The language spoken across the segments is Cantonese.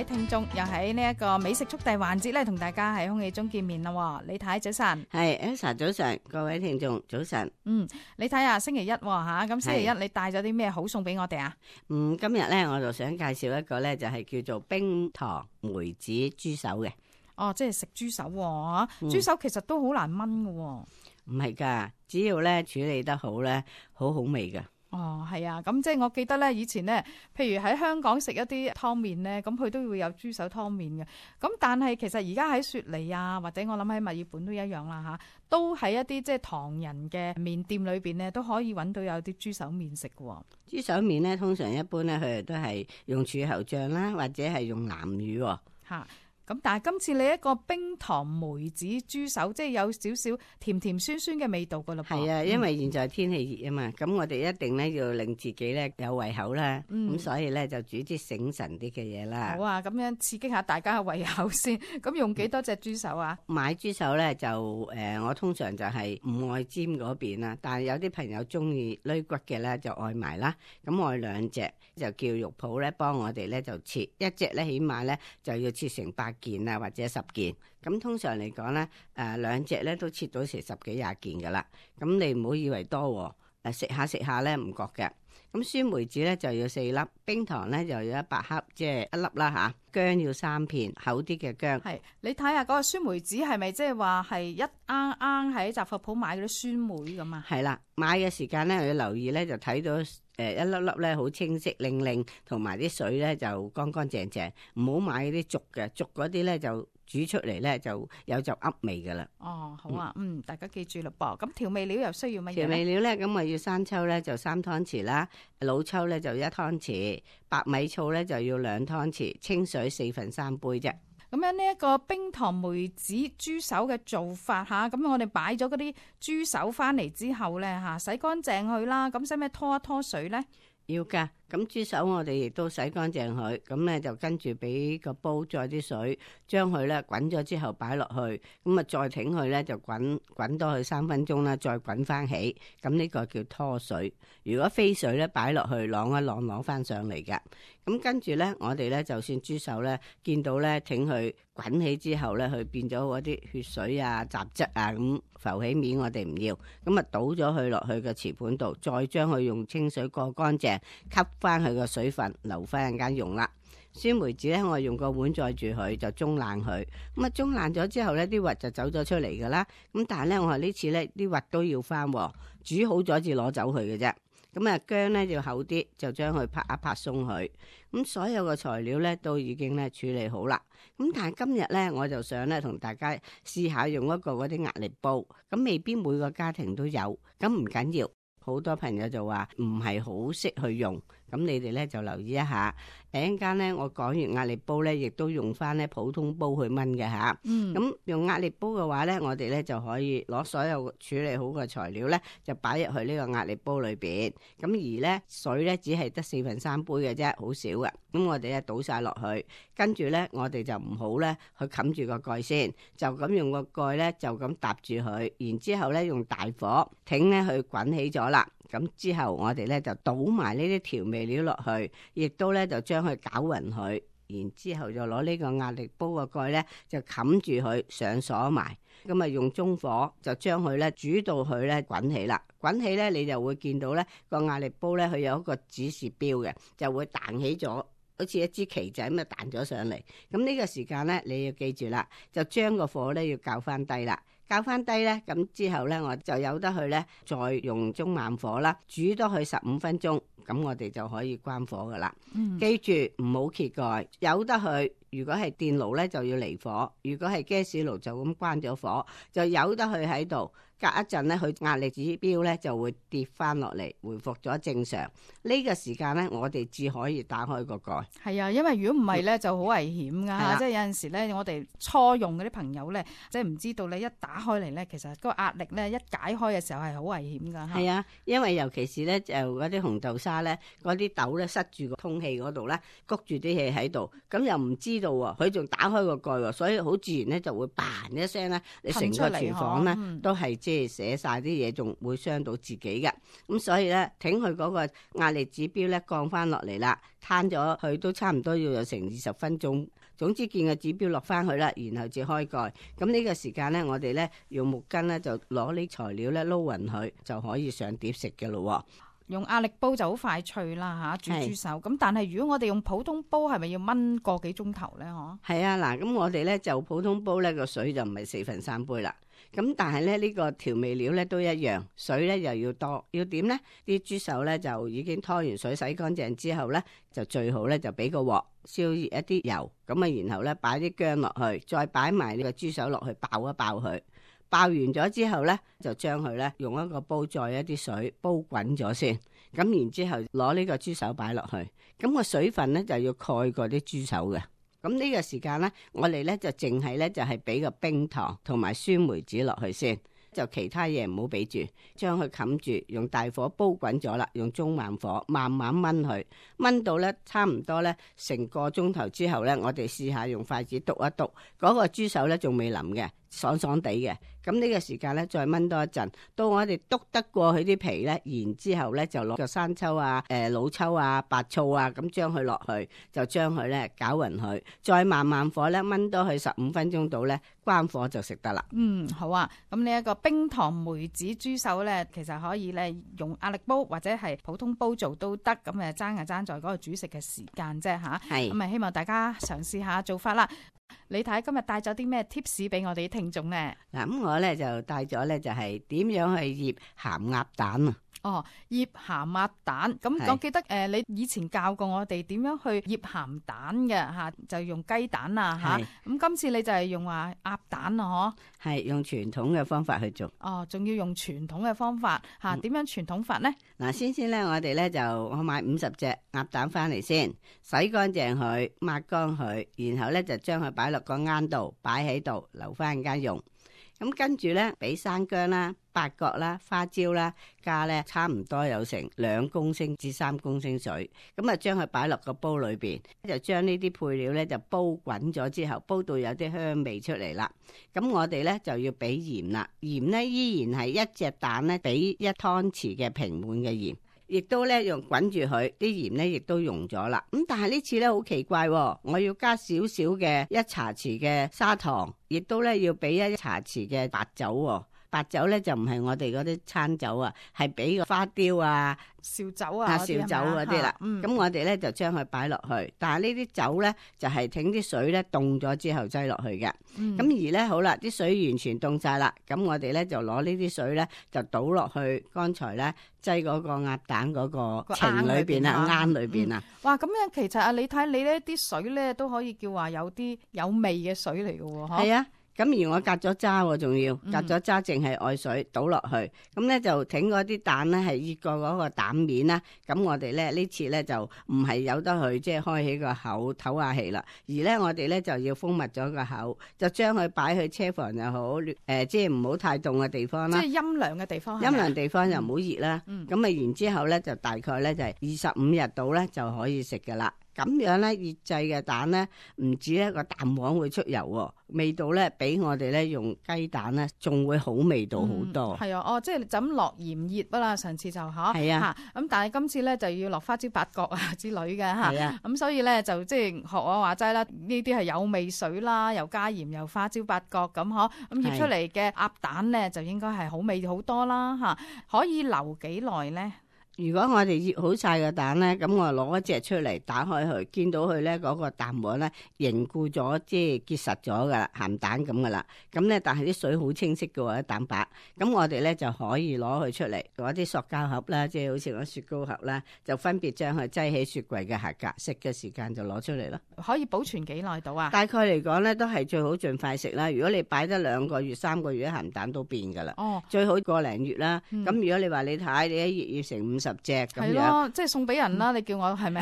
位聽眾，又喺呢一個美食速遞環節咧，同大家喺空氣中見面啦。李太早晨，係 Elsa 早晨，各位聽眾早晨。李太啊，星期一吓，咁星期一你帶咗啲咩好送俾我哋啊？今日咧我就想介紹一個咧，就係叫做冰糖梅子豬手嘅。哦，即係食豬手喎，豬手其實都好難炆㗎喎。唔係噶，只要咧處理得好咧，好好味噶。哦，係啊，咁即係我記得咧，以前咧，譬如喺香港食一啲湯麵咧，咁佢都會有豬手湯麵嘅。咁但係其實而家喺雪梨啊，或者我諗喺墨爾本都一樣啦吓，都喺一啲即係唐人嘅麵店裏邊咧，都可以揾到有啲豬手麵食嘅。豬手麵咧，通常一般咧，佢哋都係用柱侯醬啦，或者係用南乳吓。咁但係今次你一個冰糖梅子豬手，即係有少少甜甜酸酸嘅味道噶啦。係啊，因為現在天氣熱啊嘛，咁我哋一定咧要令自己咧有胃口啦。咁所以咧就煮啲醒神啲嘅嘢啦。好啊，咁樣刺激下大家嘅胃口先。咁用幾多隻豬手啊？買豬手咧就我通常就係唔愛尖嗰邊啦，但係有啲朋友中意攣骨嘅咧就愛埋啦。咁我兩隻就叫肉鋪咧幫我哋咧就切一隻咧，起碼咧就要切成8件啊，或者10件。咁通常嚟講咧，兩隻咧都切到成10幾20件噶啦。咁你唔好以為多，食下咧唔覺嘅。咁酸梅子咧就要4粒，冰糖咧就要100克，即係1粒啦吓。薑要3片，厚啲嘅薑。係，你睇下嗰個酸梅子係咪即係話係一罌罌喺雜貨鋪買嗰啲酸梅咁啊？係啦，買嘅時間咧要留意咧，就睇到一粒粒咧好清晰靚靚，同埋啲水咧就乾乾淨淨，唔好買嗰啲濁嘅，濁嗰啲咧就煮出嚟咧就有就噏味噶啦。哦，好啊，大家記住啦噃。咁調味料又需要乜嘢？調味料咧，咁我要生抽咧就3湯匙啦，老抽咧就1湯匙，白米醋咧就要2湯匙，清水3/4杯啫。咁樣呢一個冰糖梅子豬手嘅做法吓，咁我哋擺咗嗰啲豬手翻嚟之後咧吓，洗乾淨佢啦。咁使唔使拖一拖水咧？要噶，咁豬手我哋亦都洗乾淨佢，咁咧就跟住俾個煲載啲水，將佢咧滾咗之後擺落去，咁啊再挺佢咧就滾多佢3分鐘啦，再滾翻起，咁呢個叫拖水。如果飛水咧擺落去晾一晾翻上嚟嘅，咁跟住咧我哋咧就算豬手咧見到咧挺佢滾起之後咧，佢變咗嗰啲血水啊雜質啊咁浮起面，我哋唔要，咁啊倒咗佢落去個瓷盤度，再將佢用清水過乾淨，吸翻佢個水分，留翻陣間用啦。酸梅子咧，我用個碗載住佢，就中爛佢。咁啊，中爛咗之後咧，啲核就走咗出嚟噶啦。咁但係咧，我話呢次咧啲核都要翻，煮好咗至攞走佢嘅啫。咁啊，薑咧要厚啲，就將佢拍一拍鬆佢。咁所有嘅材料咧都已經咧處理好啦。咁但係今日咧，我就想咧同大家試下用一個嗰啲壓力煲。咁未必每個家庭都有，咁唔緊要。好多朋友就話唔係好識去用，咁你哋咧就留意一下。陣間咧，我講完壓力煲咧，亦都用翻咧普通煲去燜嘅吓。咁用壓力煲嘅話咧，我哋咧就可以攞所有處理好嘅材料咧，就擺入去呢個壓力煲裏邊。咁而咧水咧只係得3/4杯嘅啫，好少嘅。咁我哋咧倒晒落去，跟住咧我哋就唔好咧去冚住個蓋先，就咁用個蓋咧就咁搭住佢，然之後咧用大火挺咧去滾起咗啦。咁之後我哋咧就倒埋呢啲調味料落去，亦都咧就將佢攪勻佢，然之後就攞呢個壓力煲個蓋咧就冚住佢上鎖埋，咁啊用中火就將佢咧煮到佢咧滾起啦。滾起咧你就會見到咧個壓力煲咧佢有一個指示標嘅，就會彈起咗，好似一支旗仔咁啊彈咗上嚟。咁呢個時間咧你要記住啦，就將個火咧要校翻低啦。校翻低咧，咁之後咧，我就由得佢咧，再用中慢火啦，煮多佢15分鐘，咁我哋就可以關火噶啦。記住唔好揭蓋，由得佢。如果係電爐咧，就要離火；如果係 gas 爐，就咁關咗火，就由得佢喺度。隔一陣咧，佢壓力指標咧就會跌翻落嚟，回復咗正常。呢個時間咧，我哋至可以打開個蓋。係啊，因為如果唔係咧，就好危險噶。即係有陣時咧，我哋初用嗰啲朋友咧，即係唔知道你一打開嚟咧，其實個壓力咧一解開嘅時候係好危險噶。係啊，因為尤其是咧就嗰啲紅豆沙沙咧，嗰啲豆咧塞住個通氣嗰度咧，谷住啲氣喺度，咁又唔知道喎，佢仲打開個蓋喎，所以好自然咧就會嘭一聲咧，你成個廚房咧都係即係寫晒啲嘢，仲會傷到自己嘅。咁所以咧，挺佢嗰個壓力指標咧降翻落嚟啦，攤咗佢都差唔多要有成20分鐘。總之見個指標落翻去啦，然後至開蓋。咁呢個時間咧，我哋咧用木棍咧就攞啲材料咧撈勻佢，就可以上碟食嘅咯。用壓力煲就好快脆啦嚇，煮豬手。咁但係如果我哋用普通煲，係咪要燜個幾鐘頭咧？嗬。係啊，嗱，咁我哋咧就普通煲咧個水就唔係4分3杯啦。咁但係咧呢個調味料咧都一樣，水咧又要多。要點咧？啲豬手咧就已經拖完水洗乾淨之後咧，就最好咧就俾個鑊燒熱一啲油，咁啊然後咧擺啲薑落去，再擺埋呢個豬手落去爆一爆佢。爆完咗之後咧，就將佢咧用一個煲載一啲水煲滾咗先，咁然之後攞呢個豬手擺落去，咁個水分咧就要蓋過啲豬手嘅。咁呢個時間咧，我哋咧就淨係咧就係俾個冰糖同埋酸梅子落去先，就其他嘢唔好俾住，將佢冚住，用大火煲滾咗啦，用中慢火慢慢燜佢，燜到咧差唔多咧成個鐘頭之後咧，我哋試下用筷子篤一篤，嗰個豬手咧仲未腍嘅，爽爽地嘅。咁呢個時間咧，再燜多一陣，到我哋篤得過佢啲皮咧，然之後咧就攞個生抽啊、老抽啊、白醋啊，咁將佢落去，就將佢咧攪勻佢，再慢慢火咧燜多佢15分鐘到咧，關火就食得啦。好啊，咁呢一個冰糖梅子豬手咧，其實可以咧用壓力煲或者係普通煲做都得，咁爭在嗰個煮食嘅時間啫嚇。係，咁希望大家嘗試下做法啦。你睇今日帶咗啲咩 tips 俾我哋啲聽眾咧？嗱，咁我咧就帶咗咧就係點樣去醃鹹鴨蛋啊！醃鹹鴨蛋，咁我記得你以前教過我哋點樣去醃鹹蛋嘅嚇，就用雞蛋啊嚇。咁今次你就係用鴨蛋啊，嗬？係用傳統嘅方法去做。仲要用傳統嘅方法嚇？點樣傳統法咧？嗱，先咧，我哋咧就我買50隻鴨蛋翻嚟先，洗乾淨佢，抹乾佢，然後咧就將佢擺落個罌度，擺喺度留翻間用。咁跟住咧，俾生薑啦、八角啦、花椒啦，加咧差唔多有成2公升至3公升水，咁啊將佢擺落個煲裏邊，就將呢啲配料咧就煲滾咗之後，煲到有啲香味出嚟啦。咁我哋咧就要俾鹽啦，鹽咧依然係1隻蛋咧俾1湯匙嘅平滿嘅鹽。亦都咧用滾住佢，啲鹽咧亦都溶咗啦。咁但係呢次咧好奇怪，我要加少少嘅1茶匙嘅砂糖，亦都咧要俾1茶匙嘅白酒。白酒咧就唔係我哋嗰啲餐酒啊，係俾個花雕啊、紹酒啊、紹酒嗰啲啦。咁我哋咧就將佢擺落去，但係呢啲酒咧就係挺啲水咧凍咗之後擠落去嘅。咁而咧好啦，啲水完全凍晒啦，咁我哋咧就攞呢啲水咧就倒落去剛才咧擠嗰個鴨蛋嗰個埕裏邊啊、罌裏邊啊。哇！咁樣其實你睇你呢啲水咧都可以叫話有啲有味嘅水嚟嘅喎。係啊。咁而我隔咗渣喎，仲要隔咗渣，淨係愛水倒落去，咁咧就挺嗰啲蛋咧係熱過嗰個蛋面啦。咁我哋咧呢次咧就唔係由得佢即係開起個口唞下氣啦，而咧我哋咧就要封密咗個口，就將佢擺去車房又好，即係唔好太凍嘅地方啦。即係陰涼嘅地方。陰涼地方又唔好熱啦。咁啊然之後咧就大概咧就係25日到咧就可以食噶啦。咁樣咧熱製嘅蛋咧，唔止一個蛋黃會出油，味道咧比我哋咧用雞蛋咧仲會好味道好多。係啊，即係就咁落鹽醃啦，上次就係啊。咁但係今次咧就要落花椒八角啊之類嘅嚇。係啊。咁所以咧就即係學我話齋啦，呢啲係有味水啦，又加鹽又花椒八角咁嗬。咁醃出嚟嘅鴨蛋咧就應該係好味好多啦嚇。可以留幾耐咧？如果我哋醃好晒個蛋咧，咁我攞一隻出嚟打開佢，見到佢咧嗰個蛋黃咧凝固咗，即係結實咗噶啦，鹹蛋咁噶啦。咁咧，但係啲水好清晰嘅喎，啲蛋白。咁我哋咧就可以攞佢出嚟，攞啲塑膠盒啦，即係好似嗰雪糕盒啦，就分別將佢擠喺雪櫃嘅下格，食嘅時間就攞出嚟咯。可以保存幾耐到啊？大概嚟講咧，都係最好盡快食啦。如果你擺得2個月、3個月，啲鹹蛋都變噶啦。最好1個零月啦。咁如果你話你睇你一醃成50隻咁樣。係咯，即係送俾人啦。你叫我係咪？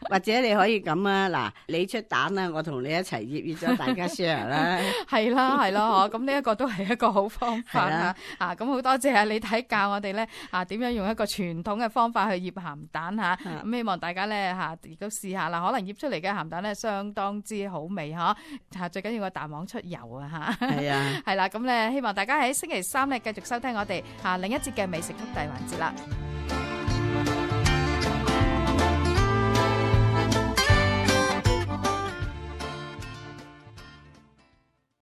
或者你可以咁啊，嗱，你出蛋啦，我同你一齊醃咗大家 share 啦。係啦，係咯，咁呢一個都係一個好方法嚇。咁好多謝你睇教我哋咧點樣用一個傳統嘅方法去醃鹹蛋嚇。咁希望大家咧亦都試下啦。可能醃出嚟嘅鹹蛋咧相當之好味嚇。最緊要個蛋黃出油啊嚇。係啊，係啦，咁咧希望大家喺星期三咧繼續收聽我哋另一節嘅美食速遞環節啦。